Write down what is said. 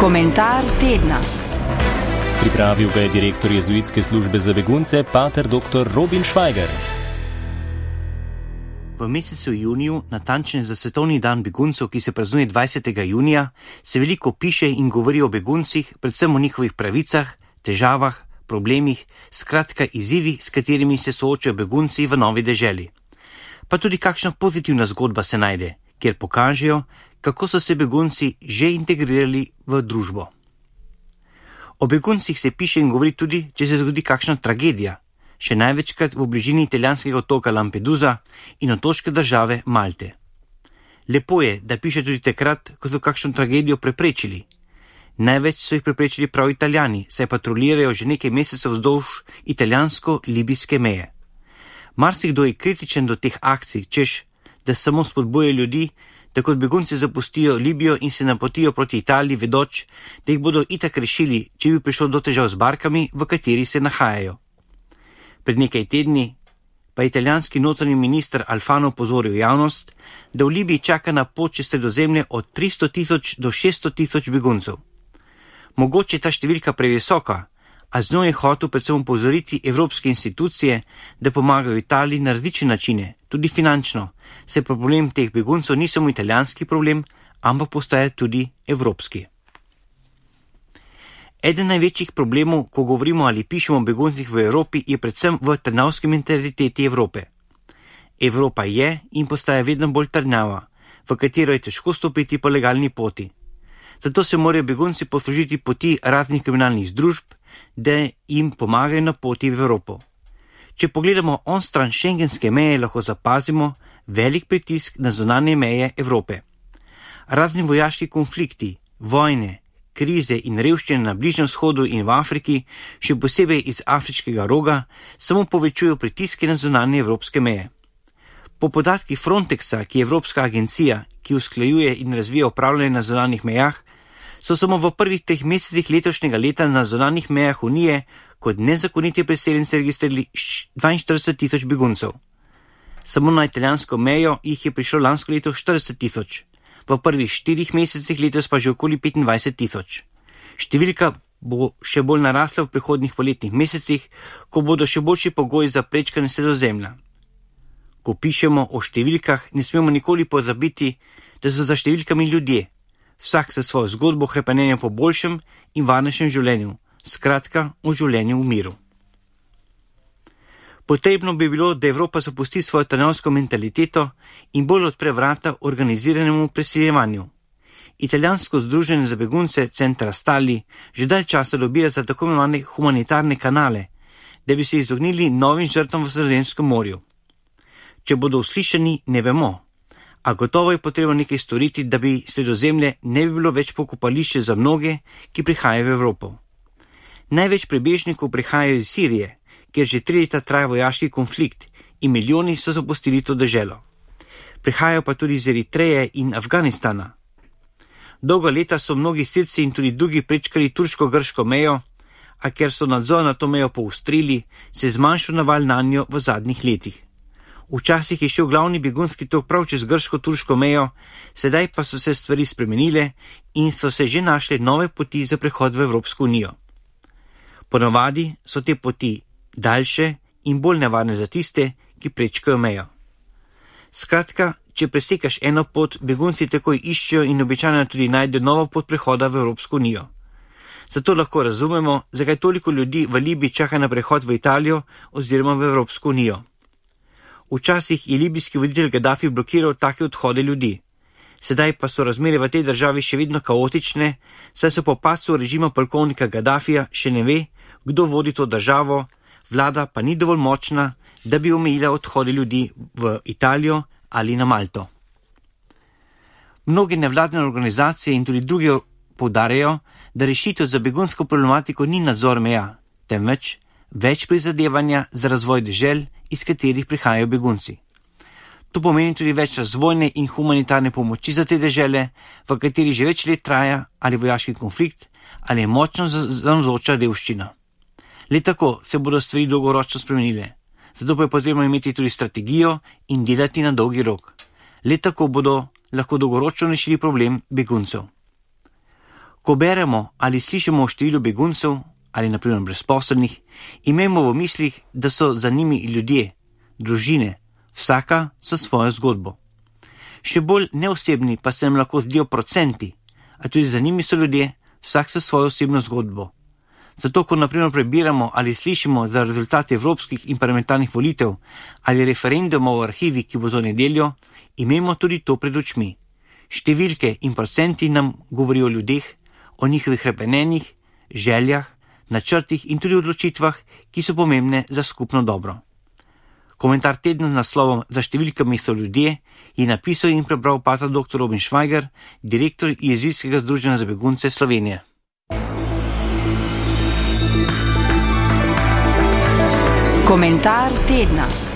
Komentar tedna. Pripravil ga je direktor jezuitske službe za begunce, pater dr. Robin Švajger. V mesecu juniju, natančne za svetovni dan beguncev, ki se praznuje 20. junija, se veliko piše in govori o beguncih, predvsem o njihovih pravicah, težavah, problemih, skratka izzivi, s katerimi se soočajo begunci v novi deželi. Pa tudi kakšna pozitivna zgodba se najde, kjer pokažejo, kako so se begunci že integrirali v družbo. O beguncih se piše in govori tudi, če se zgodi kakšna tragedija, še največkrat v bližini italijanskega otoka Lampedusa in otoške države Malte. Lepo je, da piše tudi takrat, ko so kakšno tragedijo preprečili. Največ so jih preprečili prav Italijani, saj patrolirajo že nekaj mesecev vzdolž italijansko-libijske meje. Marsikdo je kritičen do teh akcij, češ, da samo spodbujajo ljudi, da kot begunci zapustijo Libijo in se napotijo proti Italiji, vedoč, da jih bodo itak rešili, če bi prišlo do težav z barkami, v kateri se nahajajo. Pred nekaj tedni pa je italijanski notranji minister Alfano opozoril javnost, da v Libiji čaka na pot čez Sredozemlje od 300.000 do 600.000 beguncev. Mogoče je ta številka previsoka, a z njo je hotel predvsem opozoriti evropske institucije, da pomagajo Italiji na različne načine, tudi finančno, saj problem teh beguncev ni samo italijanski problem, ampak postaja tudi evropski. Eden največjih problemov, ko govorimo ali pišemo o beguncih v Evropi, je predvsem v trnavski mentaliteti Evrope. Evropa je in postaja vedno bolj trnava, v katero je težko stopiti po legalni poti. Zato se morajo begunci poslužiti poti raznih kriminalnih združb, da jim pomagajo na poti v Evropo. Če pogledamo onstran šengenske meje, lahko zapazimo velik pritisk na zunanje meje Evrope. Razni vojaški konflikti, vojne, krize in revščine na Bližnjem vzhodu in v Afriki, še posebej iz afriškega roga, samo povečujejo pritiske na zunanje evropske meje. Po podatkih Frontexa, ki je evropska agencija, ki usklajuje in razvija upravljanje na zunanjih mejah, so samo v prvih 3 mesecih letošnjega leta na zunanjih mejah Unije kot nezakoniti priseljenci registrirali 42.000 beguncev. Samo na italijansko mejo jih je prišlo lansko leto 40.000, v prvih 4 mesecih letos pa že okoli 25.000. Številka bo še bolj narasla v prihodnjih poletnih mesecih, ko bodo še boljši pogoji za prečkanje Sredozemlja. Ko pišemo o številkah, ne smemo nikoli pozabiti, da so za številkami ljudje, vsak sa svojo zgodbo hrepenenja po boljšem in varnejšem življenju, skratka o življenju v miru. Potrebno bi bilo, da Evropa zapusti svojo trnavsko mentaliteto in bolj odpre vrata organiziranemu preseljevanju. Italijansko združenje za begunce Centra Stali že dalj časa lobira za tako imenovane humanitarne kanale, da bi se izognili novim žrtvam v Sredozemskem morju. Če bodo uslišani, ne vemo, a gotovo je potrebno nekaj storiti, da bi Sredozemlje ne bi bilo več pokopališče za mnoge, ki prihajajo v Evropo. Največ prebežnikov prihajajo iz Sirije, kjer že 3 leta traja vojaški konflikt in milijoni so zapustili to deželo. Prihajajo pa tudi iz Eritreje in Afganistana. Dolga leta so mnogi Sirci in tudi drugi prečkali turško-grško mejo, a ker so nadzor na to mejo poostrili, se je zmanjšal naval nanjo v zadnjih letih. Včasih je šel glavni begunski tok prav čez grško-turško mejo, sedaj pa so se stvari spremenile in so se že našle nove poti za prehod v Evropsko unijo. Ponavadi so te poti daljše in bolj nevarne za tiste, ki prečkajo mejo. Skratka, če presekaš eno pot, begunci takoj iščejo in običajno tudi najdejo novo pot prehoda v Evropsko unijo. Zato lahko razumemo, zakaj toliko ljudi v Libiji čaka na prehod v Italijo oziroma v Evropsko unijo. Včasih je libijski voditelj Gaddafi blokiral take odhode ljudi. Sedaj pa so razmere v tej državi še vedno kaotične, saj se po padcu režima polkovnika Gaddafija še ne ve, kdo vodi to državo, vlada pa ni dovolj močna, da bi omejila odhode ljudi v Italijo ali na Malto. Mnoge nevladne organizacije in tudi druge poudarjajo, da rešitev za begunsko problematiko ni nadzor meja, temveč več prizadevanja za razvoj dežel, iz katerih prihajajo begunci. To pomeni tudi več razvojne in humanitarne pomoči za te dežele, v kateri že več let traja ali vojaški konflikt ali je močno navzoča revščina. Le tako se bodo stvari dolgoročno spremenile, zato pa je potrebno imeti tudi strategijo in delati na dolgi rok. Le tako bodo lahko dolgoročno rešili problem beguncev. Ko beremo ali slišimo o številu beguncev ali naprimer brezposelnih, imamo v mislih, da so za njimi ljudje, družine, vsaka s svojo zgodbo. Še bolj neosebni pa se nam lahko zdijo procenti, a tudi za njimi so ljudje, vsak s svojo osebno zgodbo. Zato, ko naprimer prebiramo ali slišimo za rezultate evropskih in parlamentarnih volitev ali referendumov v arhivi, ki bo to nedeljo, imamo tudi to pred očmi. Številke in procenti nam govorijo o ljudeh, o njihovih hrepenenjih, željah, načrtih in tudi odločitvah, ki so pomembne za skupno dobro. Komentar tedna z naslovom Za številkami so ljudje je napisal in prebral pater dr. Robin Švajger, direktor Jezijskega združenja za begunce Slovenije. Komentar tedna.